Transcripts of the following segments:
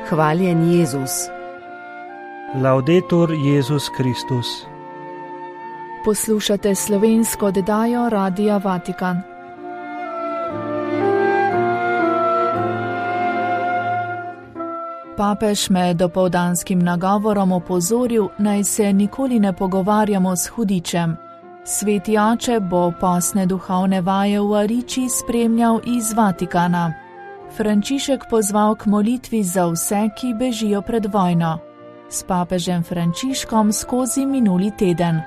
Hvaljen Jezus. Laudetur Jezus Kristus. Poslušate slovensko oddajo Radia Vatikan. Papež me dopoldanskim nagovorom opozoril, naj se nikoli ne pogovarjamo s hudičem. Sveti oče bo postne duhovne vaje v Ariči spremljal iz Vatikana. Frančišek pozval k molitvi za vse, ki bežijo pred vojno. S papežem Frančiškom skozi minuli teden.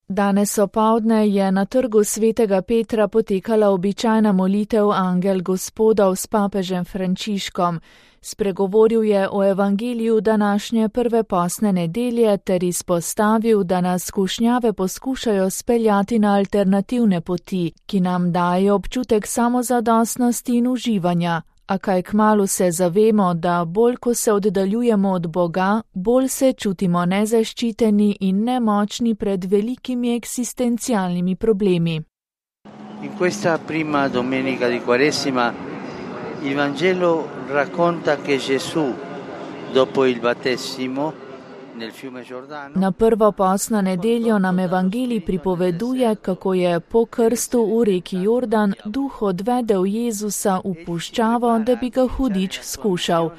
Danes opoldne je na trgu svetega Petra potekala običajna molitev Angel Gospodov s papežem Frančiškom. Spregovoril je o evangeliju današnje prve postne nedelje ter izpostavil, da nas skušnjave poskušajo speljati na alternativne poti, ki nam dajo občutek samozadostnosti in uživanja. A kaj kmalu se zavemo, da bolj ko se oddaljujemo od Boga, bolj se čutimo nezaščiteni in nemočni pred velikimi eksistencialnimi problemi. In questa prima domenica di Quaresima il Vangelo racconta che Gesù dopo il battesimo nel fiume Giordano. Na prvo postno nedeljo nam evangelij pripoveduje, kako je po krstu v reki Jordan duh odvedel Jezusa v puščavo, da bi ga hudič skušal.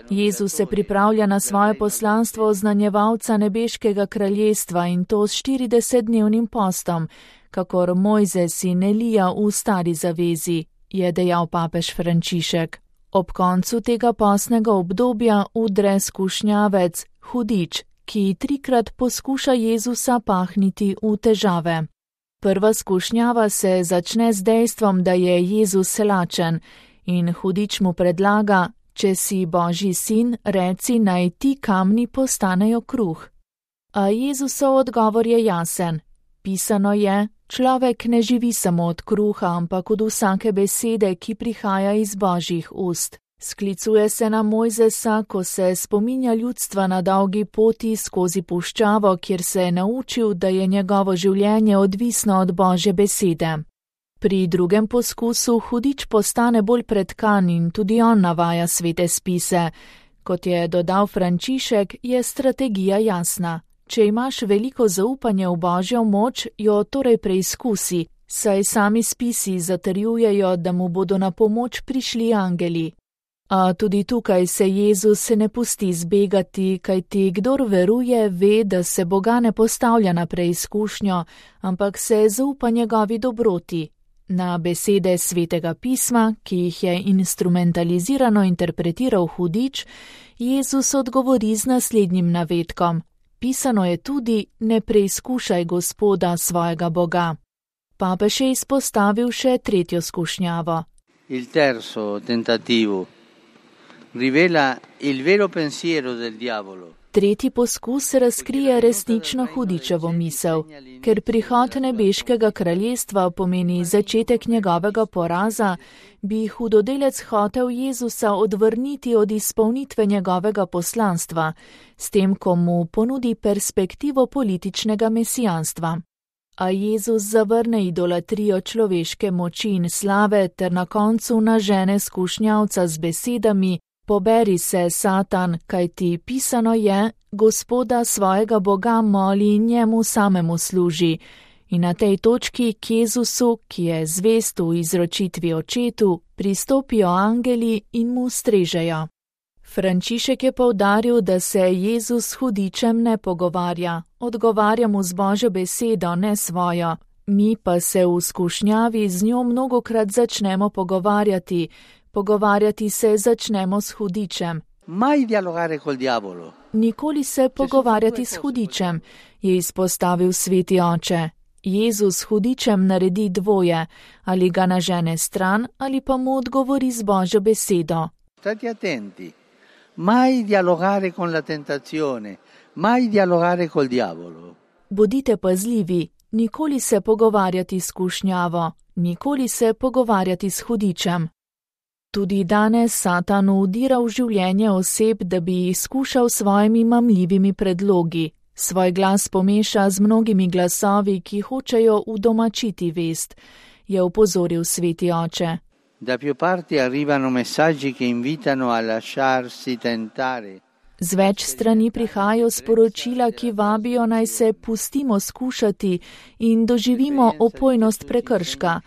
Jezus se pripravlja na svoje poslanstvo oznanjevalca nebeškega kraljestva in to s 40-dnevnim postom, kakor Mojzes in Elija v stari zavezi, je dejal papež Frančišek. Ob koncu tega postnega obdobja udre skušnjavec, hudič, ki 3krat poskuša Jezusa pahniti v težave. Prva skušnjava se začne z dejstvom, da je Jezus lačen in hudič mu predlaga, če si Božji sin, reci, naj ti kamni postanejo kruh. A Jezusov odgovor je jasen. Pisano je, človek ne živi samo od kruha, ampak od vsake besede, ki prihaja iz Božjih ust. Sklicuje se na Mojzesa, ko se spominja ljudstva na dolgi poti skozi puščavo, kjer se je naučil, da je njegovo življenje odvisno od Božje besede. Pri drugem poskusu hudič postane bolj pretkan in tudi on navaja svete spise. Kot je dodal Frančišek, je strategija jasna. Če imaš veliko zaupanje v Božjo moč, jo torej preizkusi, saj sami spisi zatrjujejo, da mu bodo na pomoč prišli angeli. A tudi tukaj se Jezus ne pusti zbegati, kajti kdor veruje, ve, da se Boga ne postavlja na preizkušnjo, ampak se zaupa njegovi dobroti. Na besede svetega pisma, ki jih je instrumentalizirano interpretiral hudič, Jezus odgovori z naslednjim navedkom. Pisano je tudi, ne preizkušaj Gospoda svojega Boga. Papež je izpostavil še tretjo skušnjavo. Il terzo tentativo rivela il vero pensiero del diavolo. Tretji poskus razkrije resnično hudičevo misel, ker prihod nebeškega kraljestva pomeni začetek njegovega poraza, bi hudodelec hotel Jezusa odvrniti od izpolnitve njegovega poslanstva, s tem, ko mu ponudi perspektivo političnega mesijanstva. A Jezus zavrne idolatrijo človeške moči in slave ter na koncu nažene skušnjavca z besedami: poberi se, Satan, kajti pisano je, Gospoda svojega Boga moli in njemu samemu služi. In na tej točki k Jezusu, ki je zvest v izročitvi očetu, pristopijo angeli in mu strežejo. Frančišek je poudaril, da se Jezus s hudičem ne pogovarja, odgovarja mu z Božjo besedo, ne svojo. Mi pa se v skušnjavi z njo mnogokrat začnemo pogovarjati se začnemo s hudičem. Mai dialogare col diavolo. Nikoli se pogovarjati s hudičem, je izpostavil sveti oče. Jezus s hudičem naredi dvoje, ali ga nažene stran, ali pa mu odgovori z Božjo besedo. State attenti. Mai dialogare con la tentazione, mai dialogare col diavolo. Bodite pazljivi, nikoli se pogovarjati s kušnjavo, nikoli se pogovarjati s hudičem. Tudi danes Satan vdira v življenje oseb, da bi jih skušal s svojimi mamljivimi predlogi. Svoj glas pomeša z mnogimi glasovi, ki hočejo udomačiti vest, je opozoril sveti oče. Da più parti arrivano messaggi che invitano a lasciarsi tentare. Z več strani prihajajo sporočila, ki vabijo naj se pustimo skušati in doživimo opojnost prekrška.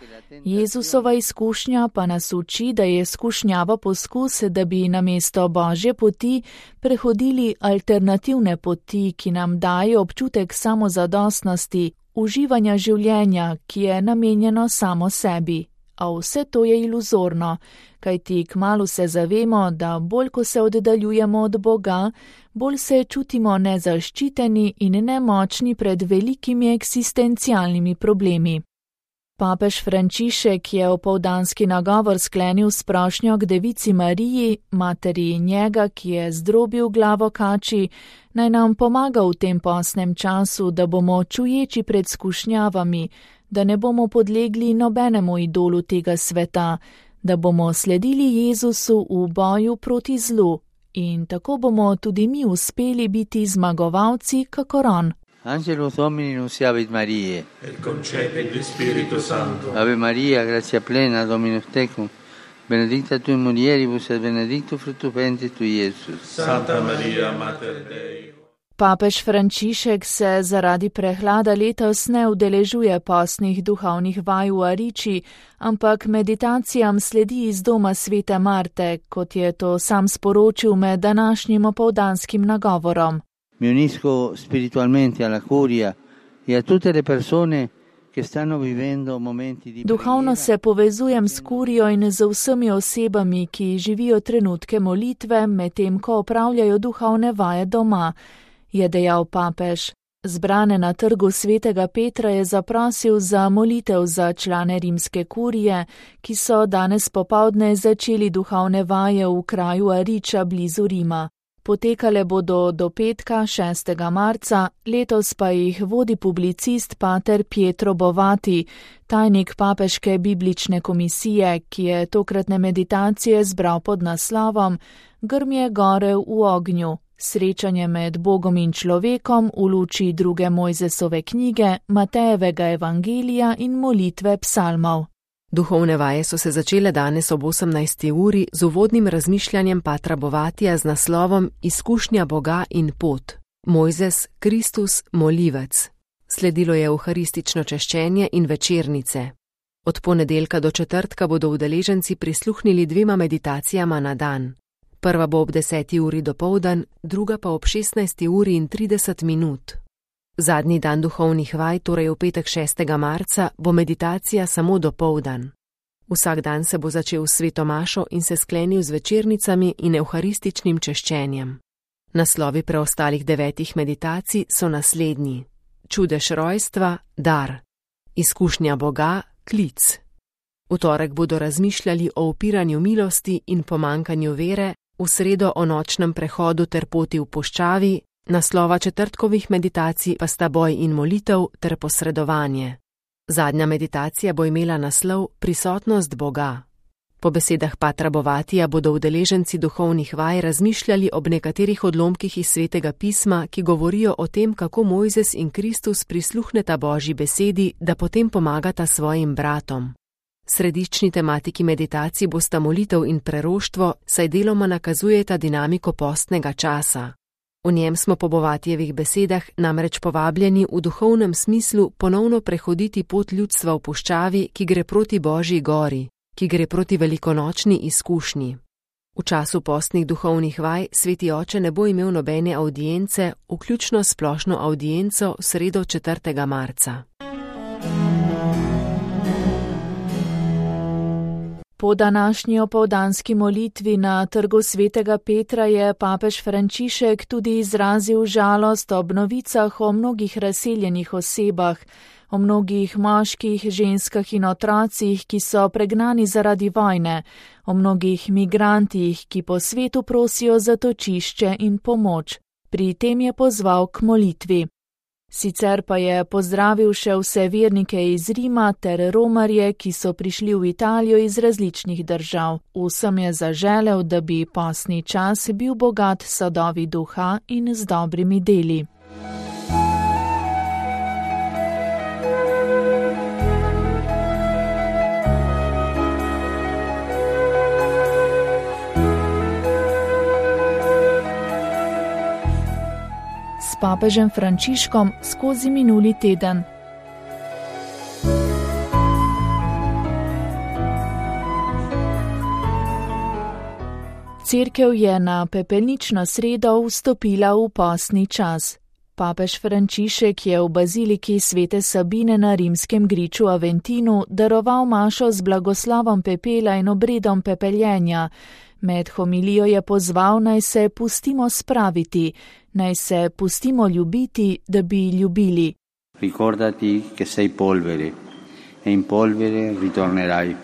Jezusova izkušnja pa nas uči, da je skušnjava poskus, da bi namesto Božje poti prehodili alternativne poti, ki nam dajo občutek samozadostnosti, uživanja življenja, ki je namenjeno samo sebi. A vse to je iluzorno, kajti kmalu se zavemo, da bolj ko se oddaljujemo od Boga, bolj se čutimo nezaščiteni in nemočni pred velikimi eksistencialnimi problemi. Papež Frančišek je opoldanski nagovor sklenil s prošnjo k Devici Mariji, materi njega, ki je zdrobil glavo kači, naj nam pomaga v tem postnem času, da bomo čuječi pred skušnjavami, da ne bomo podlegli nobenemu idolu tega sveta, da bomo sledili Jezusu v boju proti zlu in tako bomo tudi mi uspeli biti zmagovalci, kakor on. Angelus Domini nunciavit Mariae. Et concepit Spiritu Sancto. Ave Maria, gratia plena, Dominus tecum, benedicta tui mulieribus et benedictus fructus ventris tui, Iesus. Santa Maria, Mater Dei. Papež Frančišek se zaradi prehlada letos ne udeležuje postnih duhovnih vaj v Ariči, ampak meditacijam sledi iz doma svete Marte, kot je to sam sporočil med današnjim opoldanskim nagovorom. Mi unisco spiritualmente alla curia e a tutte le persone che stanno vivendo momenti di Duhovno se povezujem s kurijo in z vsemi osebami, ki živijo trenutke molitve, medtem ko opravljajo duhovne vaje doma, je dejal papež. Zbrane na trgu svetega Petra je zaprosil za molitev za člane rimske kurije, ki so danes popoldne začeli duhovne vaje v kraju Ariča blizu Rima. Potekale bodo do petka 6. marca, letos pa jih vodi publicist pater Pietro Bovati, tajnik papeške biblične komisije, ki je tokratne meditacije zbral pod naslovom Grmje gore v ognju. Srečanje med Bogom in človekom v luči 2. Mojzesove knjige, Matejevega evangelija in molitve psalmov. Duhovne vaje so se začele danes ob 18. uri z uvodnim razmišljanjem patra Bovatija z naslovom Izkušnja Boga in pot. Mojzes, Kristus, molivec. Sledilo je euharistično češčenje in večernice. Od ponedeljka do četrtka bodo udeleženci prisluhnili 2 meditacijama na dan. Prva bo ob 10. uri dopoldan, druga pa ob 16. uri in 30 minut. Zadnji dan duhovnih vaj, torej v petek 6. marca, bo meditacija samo dopoldan. Vsak dan se bo začel s sveto mašo in se sklenil z večernicami in euharističnim češčenjem. Naslovi preostalih 9 meditacij so naslednji: Čudež rojstva, dar; Izkušnja Boga, klic. V torek bodo razmišljali o upiranju milosti in pomankanju vere, v sredo o nočnem prehodu ter poti v puščavi, naslova četrtkovih meditacij pa sta boj in molitev ter posredovanje. Zadnja meditacija bo imela naslov Prisotnost Boga. Po besedah patra Bovatija bodo udeleženci duhovnih vaj razmišljali ob nekaterih odlomkih iz svetega pisma, ki govorijo o tem, kako Mojzes in Kristus prisluhneta Božji besedi, da potem pomagata svojim bratom. Središčni tematiki meditacij bosta molitev in preroštvo, saj deloma nakazujeta dinamiko postnega časa. V njem smo po Bovatijevih besedah namreč povabljeni v duhovnem smislu ponovno prehoditi pot ljudstva v puščavi, ki gre proti Božji gori, ki gre proti velikonočni izkušnji. V času postnih duhovnih vaj sveti oče ne bo imel nobene avdience, vključno splošno avdienco v sredo 4. marca. Po današnji opoldanski molitvi na trgu svetega Petra je papež Frančišek tudi izrazil žalost ob novicah o mnogih razseljenih osebah, o mnogih moških, ženskah in otrocih, ki so pregnani zaradi vojne, o mnogih migrantih, ki po svetu prosijo zatočišče in pomoč. Pri tem je pozval k molitvi. Sicer pa je pozdravil še vse vernike iz Rima ter romarje, ki so prišli v Italijo iz različnih držav. Vsem je zaželel, da bi postni čas bil bogat s sadovi duha in z dobrimi deli. papežem Frančiškom skozi minuli teden. Cerkev je na pepelnično sredo vstopila v postni čas. Papež Frančišek je v baziliki Svete Sabine na rimskem griču Aventinu daroval mašo z blagoslovom pepela in obredom pepeljenja. Med homilijo je pozval, naj se pustimo spraviti, naj se pustimo ljubiti, da bi ljubili. Ricordati che sei polvere e in polvere ritornerai.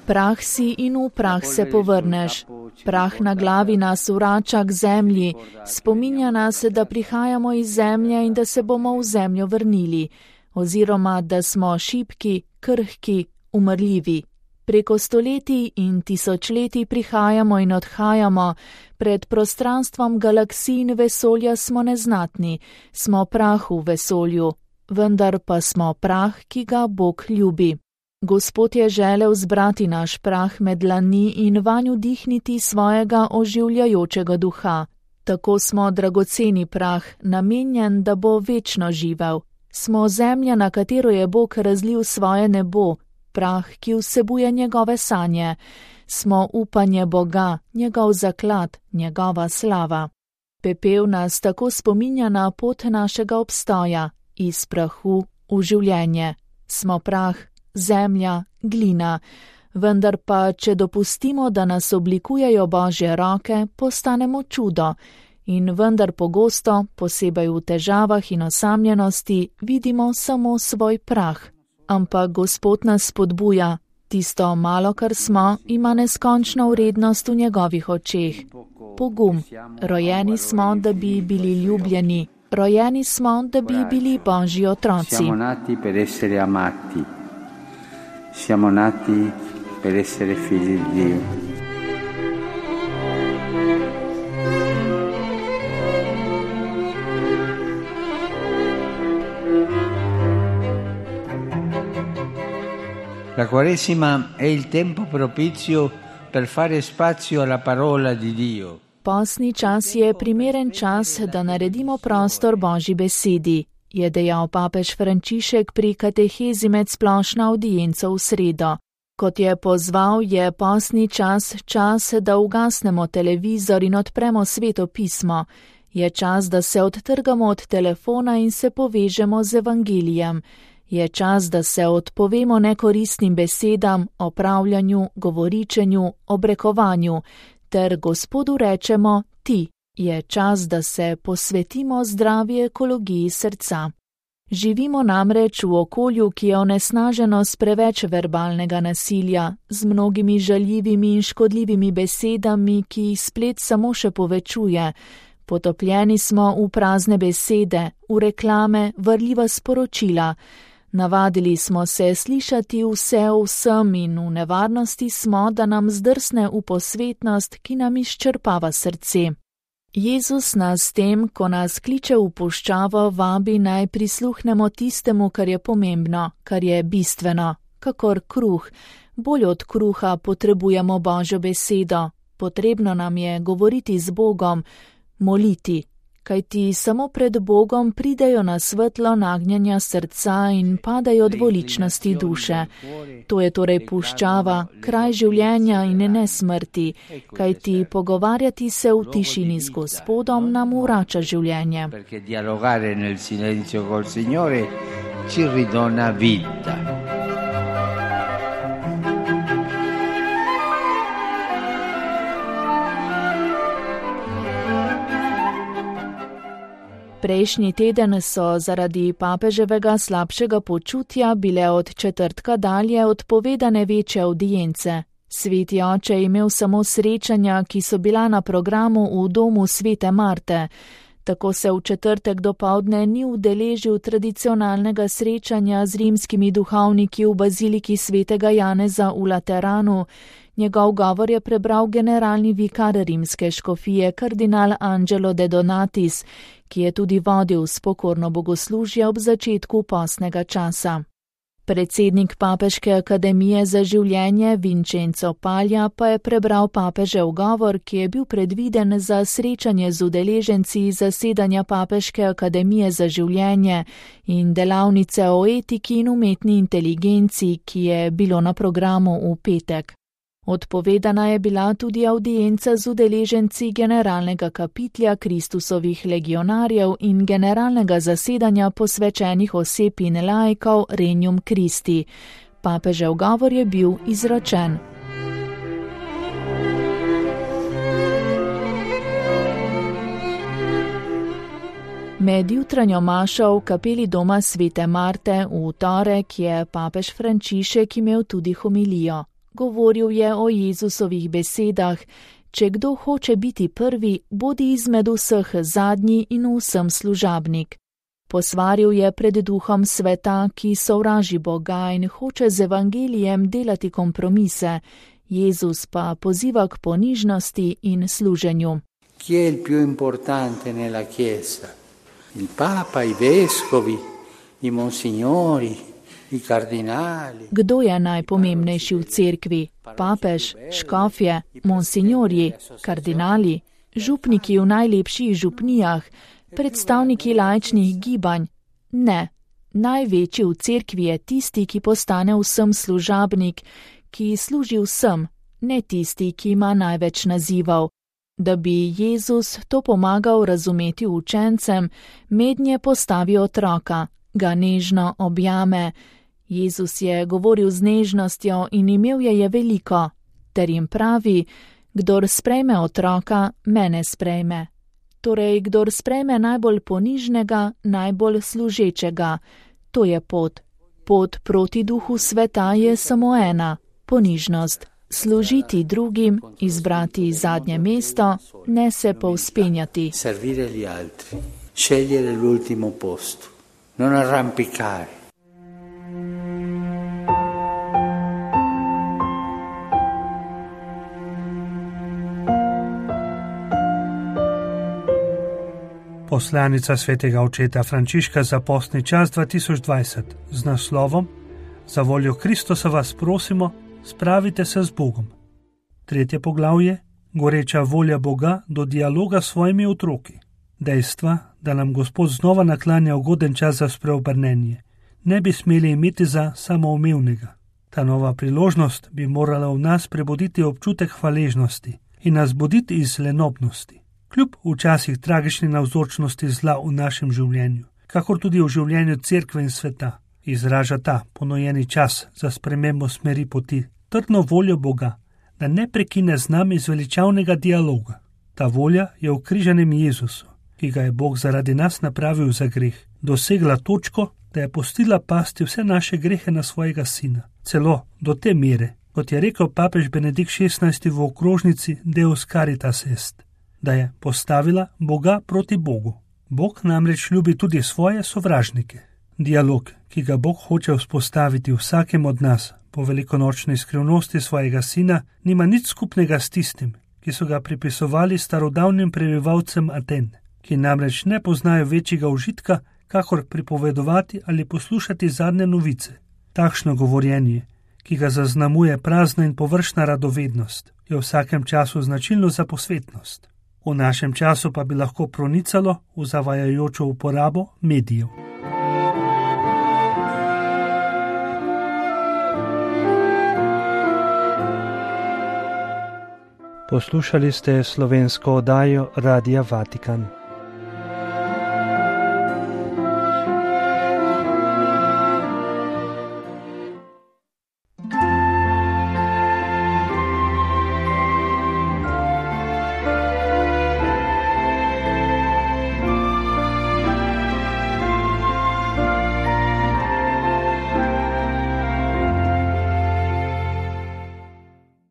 Prah si in v prah se povrneš. Prah na glavi nas vrača k zemlji, spominja nas, da prihajamo iz zemlje in da se bomo v zemljo vrnili, oziroma da smo šibki, krhki, umrljivi. Preko stoletij in tisočletij prihajamo in odhajamo, pred prostranstvom galaksij in vesolja smo neznatni, smo prah v vesolju, vendar pa smo prah, ki ga Bog ljubi. Gospod je želel zbrati naš prah med dlani in vanj vdihniti svojega oživljajočega duha. Tako smo dragoceni prah, namenjen, da bo večno živel. Smo zemlja, na katero je Bog razlil svoje nebo, prah, ki vsebuje njegove sanje. Smo upanje Boga, njegov zaklad, njegova slava. Pepel nas tako spominja na pot našega obstoja, iz prahu v življenje. Smo prah, zemlja, glina, vendar pa, če dopustimo, da nas oblikujejo Božje roke, postanemo čudo in vendar pogosto, posebej v težavah in osamljenosti, vidimo samo svoj prah. Ampak Gospod nas spodbuja, tisto malo, kar smo, ima neskončno vrednost v njegovih očeh. Pogum, rojeni smo, da bi bili ljubljeni, rojeni smo, da bi bili Božji otroci. Siamo nati per essere amati. Siamo nati per essere figli di Dio. La Quaresima è il tempo propizio per fare spazio alla parola di Dio. Postni čas je primeren čas, da naredimo prostor Božji besedi, je dejal papež Frančišek pri katehezi med splošno avdienco v sredo. Kot je pozval, je postni čas čas, da ugasnemo televizor in odpremo Sveto pismo. Je čas, da se odtrgamo od telefona in se povežemo z evangelijem. Je čas, da se odpovemo nekoristnim besedam, opravljanju, govoričenju, obrekovanju, ter Gospodu rečemo ti. Je čas, da se posvetimo zdravi ekologiji srca. Živimo namreč v okolju, ki je onesnaženo s preveč verbalnega nasilja, z mnogimi žaljivimi in škodljivimi besedami, ki jih splet samo še povečuje. Potopljeni smo v prazne besede, v reklame, varljiva sporočila. Navadili smo se slišati vse o vsem in v nevarnosti smo, da nam zdrsne v posvetnost, ki nam izčrpava srce. Jezus nas s tem, ko nas kliče v puščavo, vabi naj prisluhnemo tistemu, kar je pomembno, kar je bistveno, kakor kruh. Bolj od kruha potrebujemo Božjo besedo, potrebno nam je govoriti z Bogom, moliti, kajti samo pred Bogom pridejo na svetlo nagnjenja srca in padajo dvoličnosti duše. To je torej puščava, kraj življenja in ne smrti, kajti pogovarjati se v tišini z Gospodom nam vrača življenje. Perché dialogare nel silenzio col Signore ci ridona vita. Prejšnji teden so zaradi papeževega slabšega počutja bile od četrtka dalje odpovedane večje avdience. Sveti oče je imel samo srečanja, ki so bila na programu v domu Svete Marte. Tako se v četrtek dopoldne ni udeležil tradicionalnega srečanja z rimskimi duhovniki v baziliki Svetega Janeza v Lateranu. Njegov govor je prebral generalni vikar rimske škofije kardinal Angelo de Donatis, ki je tudi vodil spokorno bogoslužje ob začetku postnega časa. Predsednik Papeške akademije za življenje Vincenzo Paglia pa je prebral papežev govor, ki je bil predviden za srečanje z udeleženci zasedanja Papeške akademije za življenje in delavnice o etiki in umetni inteligenci, ki je bilo na programu v petek. Odpovedana je bila tudi avdienca z udeleženci generalnega kapitlja Kristusovih legionarjev in generalnega zasedanja posvečenih oseb in laikov Regnum Christi. Papežev govor je bil izročen. Med jutranjo mašo v kapeli doma Svete Marte v torek je papež Frančišek imel tudi homilijo. Govoril je o Jezusovih besedah: če kdo hoče biti prvi, bodi izmed vseh zadnji in vsem služabnik. Posvaril je pred duhom sveta, ki sovraži Boga in hoče z evangelijem delati kompromise. Jezus pa poziva k ponižnosti in služenju. Chi è il più importante nella Chiesa? Il Papa, i vescovi, i monsignori, i kardinali. Kdo je najpomembnejši v cerkvi? Papež, škofje, monsignorji, kardinali, župniki v najlepših župnijah, predstavniki laičnih gibanj? Ne, največji v cerkvi je tisti, ki postane vsem služabnik, ki služi vsem, ne tisti, ki ima največ nazivov. Da bi Jezus to pomagal razumeti učencem, mednje postavi otroka, ga nežno objame. Jezus je govoril z nežnostjo in imel je veliko, ter jim pravi: kdor sprejme otroka, mene sprejme. Torej, kdor sprejme najbolj ponižnega, najbolj služečega. To je pot. Pot proti duhu sveta je samo ena: ponižnost. Služiti drugim, izbrati zadnje mesto, ne se povzpenjati. Servire gli altri, scegliere l'ultimo posto, non arrampicare. Poslanica svetega očeta Frančiška za postni čas 2020 z naslovom Za voljo Kristusa vas prosimo, spravite se z Bogom. 3. poglavje, goreča volja Boga do dialoga s svojimi otroki. Dejstva, da nam Gospod znova naklanja ugoden čas za spreobrnenje, ne bi smeli imeti za samoumevnega. Ta nova priložnost bi morala v nas prebuditi občutek hvaležnosti in nas buditi iz lenobnosti. Kljub včasih tragični navzočnosti zla v našem življenju, kakor tudi v življenju cerkve in sveta, izraža ta ponujeni čas za spremembo smeri poti, trdno voljo Boga, da ne prekine z nami zveličavnega dialoga. Ta volja je v križanem Jezusu, ki ga je Bog zaradi nas napravil za greh, dosegla točko, da je pustila pasti vse naše grehe na svojega sina. Celo do te mere, kot je rekel papež Benedikt XVI v okrožnici Deus Caritas Est, da je postavila Boga proti Bogu. Bog namreč ljubi tudi svoje sovražnike. Dialog, ki ga Bog hoče vzpostaviti vsakem od nas po velikonočni skrivnosti svojega sina, nima nič skupnega s tistim, ki so ga pripisovali starodavnim prebivalcem Aten, ki namreč ne poznajo večjega užitka, kakor pripovedovati ali poslušati zadnje novice. Takšno govorjenje, ki ga zaznamuje prazna in površna radovednost, je v vsakem času značilno za posvetnost. V našem času pa bi lahko pronicalo v zavajajočo uporabo medijev. Poslušali ste slovensko oddajo Radia Vatikan.